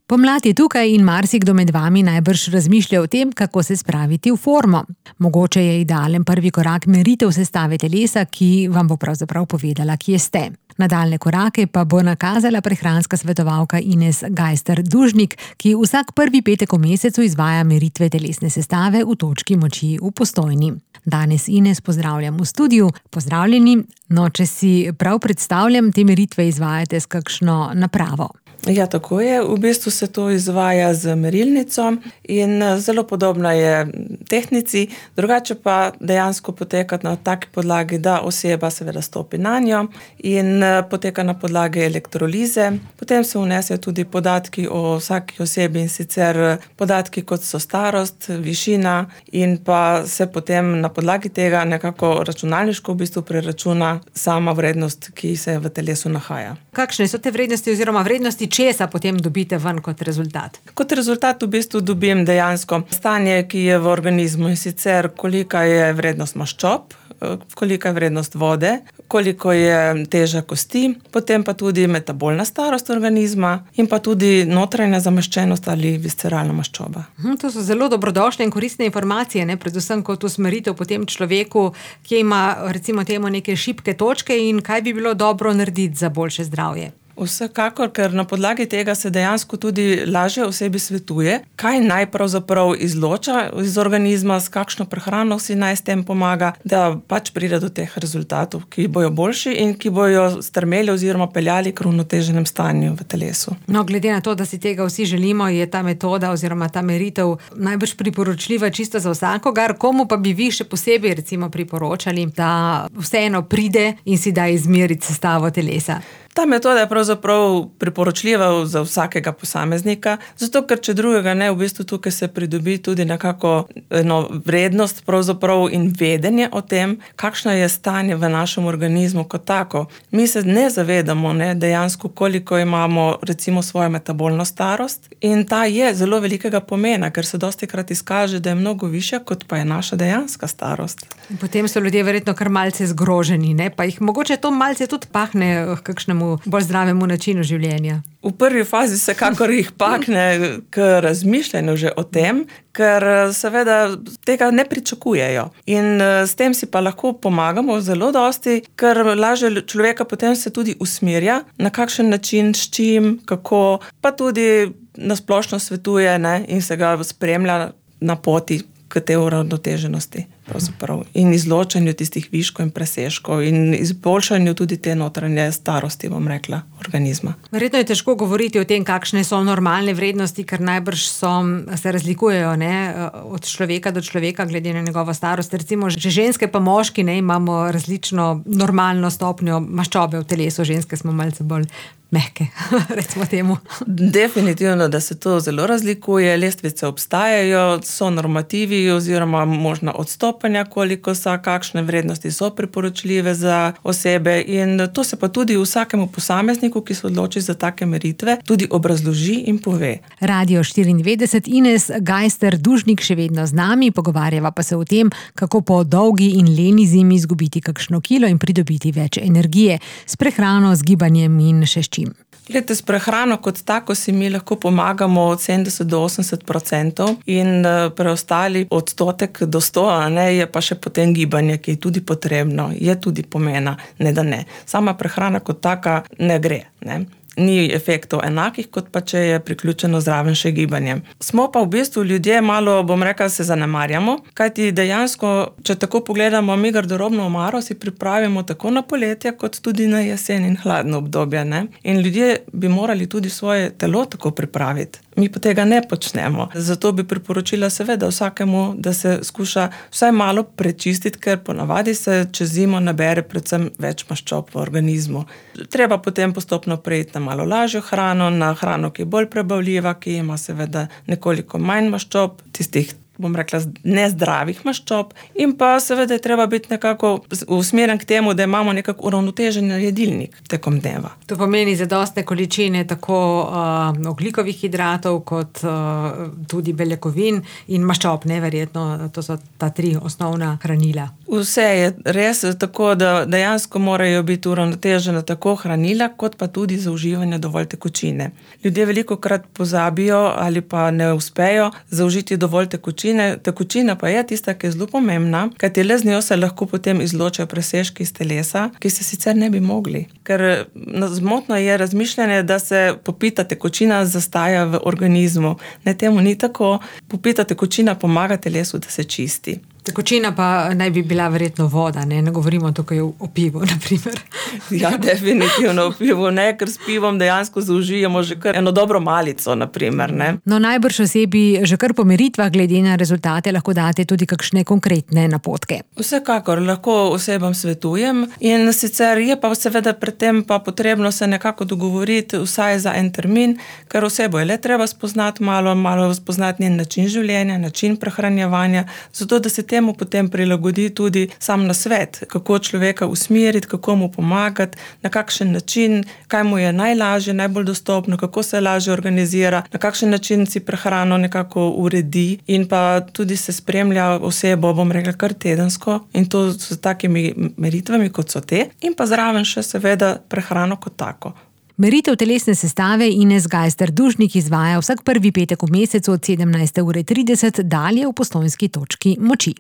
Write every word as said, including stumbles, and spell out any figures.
Pomlad je tukaj in marsikdo med vami najbrž razmišlja o tem, kako se spraviti v formo. Mogoče je idealen prvi korak meritev sestave telesa, ki vam bo pravzaprav povedala, kje ste. Nadaljne korake pa bo nakazala prehranska svetovalka Ines Gajser-Dužnik, ki vsak prvi petek v mesecu izvaja meritve telesne sestave v točki moči v Postojni. Danes Ines pozdravljam v studiu. Pozdravljeni. No, če si prav predstavljam, te meritve izvajate s kakšno napravo. Ja, tako je. V bistvu se to izvaja z merilnico in zelo podobna je tehnici, drugače pa dejansko poteka na taki podlagi, da oseba seveda stopi na njo in poteka na podlagi elektrolize. Potem se vnesejo tudi podatki o vsaki osebi in sicer podatki, kot so starost, višina in pa se potem na podlagi tega nekako računalniško v bistvu preračuna sama vrednost, ki se v telesu nahaja. Kakšne so te vrednosti oziroma vrednosti, česa potem dobite ven kot rezultat? Kot rezultat v bistvu dobim dejansko stanje, ki je v organizmu in sicer kolika je vrednost maščob, kolika je vrednost vode, koliko je teža kosti, potem pa tudi metabolna starost organizma in pa tudi notranja zamaščenost ali visceralna maščoba. Hm, to so zelo dobrodošle in koristne informacije, ne? Predvsem kot usmeritev potem človeku, ki ima recimo temu neke šibke točke in kaj bi bilo dobro narediti za boljše zdravje. Vsekakor, ker na podlagi tega se dejansko tudi lažje osebi svetuje, kaj naj pravzaprav izloča iz organizma, s kakšno prehrano si naj s tem pomaga, da pač pride do teh rezultatov, ki bojo boljši in ki bojo strmeli oziroma peljali k uravnoteženem stanju v telesu. No, glede na to, da si tega vsi želimo, je ta metoda oziroma ta meritev najbrž priporočljiva čisto za vsakogar. Komu pa bi vi še posebej recimo priporočali, da vseeno pride in si da izmeriti sestavo telesa? Ta metoda je pravzaprav priporočljiva za vsakega posameznika, zato ker če drugega ne, v bistvu tukaj se pridobi tudi nekako eno vrednost pravzaprav in vedenje o tem, kakšno je stanje v našem organizmu kot tako. Mi se ne zavedamo ne, dejansko, koliko imamo recimo svojo metabolno starost in ta je zelo velikega pomena, ker se dostikrat izkaže, da je mnogo višja, kot pa je naša dejanska starost. Potem so ljudje verjetno kar malce zgroženi, ne? Pa jih mogoče to malce tudi pahne k kakšnemu bolj zdravemu načinu življenja. V prvi fazi se kakor jih pakne k razmišljanju že o tem, ker seveda tega ne pričakujejo. In s tem si pa lahko pomagamo zelo dosti, ker lažje človeka potem se tudi usmerja, na kakšen način, s čim, kako, pa tudi na splošno svetuje ne, in se ga spremlja na poti k tej uravnoteženosti pravzaprav in izločanju tistih viškov in presežkov in izboljšanju tudi te notranje starosti, bom rekla, organizma. Verjetno je težko govoriti o tem, kakšne so normalne vrednosti, ker najbrž so, se razlikujejo ne, od človeka do človeka glede na njegovo starost. Recimo, že ženske pa moški ne, imamo različno normalno stopnjo maščobe v telesu, ženske smo malce bolj mehke, recimo temu. Definitivno, da se to zelo razlikuje, lestvice obstajajo, so normativi oziroma možna odstopanja, koliko so, kakšne vrednosti so priporočljive za osebe in to se pa tudi vsakemu posamezniku, ki se odloči za take meritve, tudi obrazloži in pove. Radio štiriindevetdeset, Ines Gajser-Dužnik še vedno z nami, pogovarjava pa se o tem, kako po dolgi in leni zimi izgubiti kakšno kilo in pridobiti več energije s prehrano, z gibanjem in še s čim. Glede, s prehrano kot tako si mi lahko pomagamo od sedemdeset do osemdeset procentov in preostali odstotek do sto, a ne, je pa še potem gibanje, ki je tudi potrebno, je tudi pomena, ne da ne. Sama prehrana kot taka ne gre, ne. Ni efektov enakih, kot pa če je priključeno zraven še gibanje. Smo pa v bistvu ljudje malo, bom rekla, se zanemarjamo, kajti dejansko, če tako pogledamo, mi garderobno omaro si pripravimo tako na poletje, kot tudi na jesen in hladno obdobje, ne. In ljudje bi morali tudi svoje telo tako pripraviti. Mi pa tega ne počnemo. Zato bi priporočila seveda vsakemu, da se skuša vsaj malo prečistiti, ker ponavadi se čez zimo nabere predvsem več maščob v organizmu. Treba potem postopno preiti na malo lažjo hrano, na hrano, ki je bolj prebavljiva, ki ima seveda nekoliko manj maščob, tistih bom rekla, nezdravih maščob in pa seveda je treba biti nekako usmerjen k temu, da imamo nekako uravnotežen jedilnik tekom dneva. To pomeni zadostne količine tako uh, ogljikovih hidratov kot uh, tudi beljakovin in maščob, neverjetno, to so ta tri osnovna hranila. Vse je res tako, da dejansko morajo biti uravnotežena tako hranila, kot pa tudi za uživanje dovolj tekočine. Ljudje velikokrat pozabijo ali pa ne uspejo zaužiti dovolj tekočine. Tekočina pa je tista, ki je zelo pomembna, kajti le z njo se lahko potem izločajo presežki iz telesa, ki se sicer ne bi mogli. Ker zmotno je razmišljanje, da se popita tekočina zastaja v organizmu. Ne, temu ni tako. Popita tekočina pomaga telesu, da se čisti. Tekočina pa naj bi bila verjetno voda, ne, ne govorimo tukaj o pivu, na primer. Ja, definitivno o pivu, ne, ker s pivom dejansko zaužijemo že kar eno dobro malico, na primer, ne. No, najbrž osebi že kar po meritvah glede na rezultate lahko date tudi kakšne konkretne napotke. Vsekakor, lahko osebam svetujem in sicer je pa seveda pred tem pa potrebno se nekako dogovoriti vsaj za en termin, ker osebo je le treba spoznati malo, malo spoznati njen način življenja, način prehranjevanja, zato da se temu potem prilagodi tudi sam nasvet, kako človeka usmeriti, kako mu pomagati, na kakšen način, kaj mu je najlažje, najbolj dostopno, kako se lažje organizira, na kakšen način si prehrano nekako uredi in pa tudi se spremlja osebo, bom rekla, kar tedensko in to s takimi meritvami, kot so te, in pa zraven še seveda prehrano kot tako. Meritev telesne sestave Ines Gajser-Dušnik izvaja vsak prvi petek v mesecu od sedemnajste ure trideset dalje v Postojnski točki moči.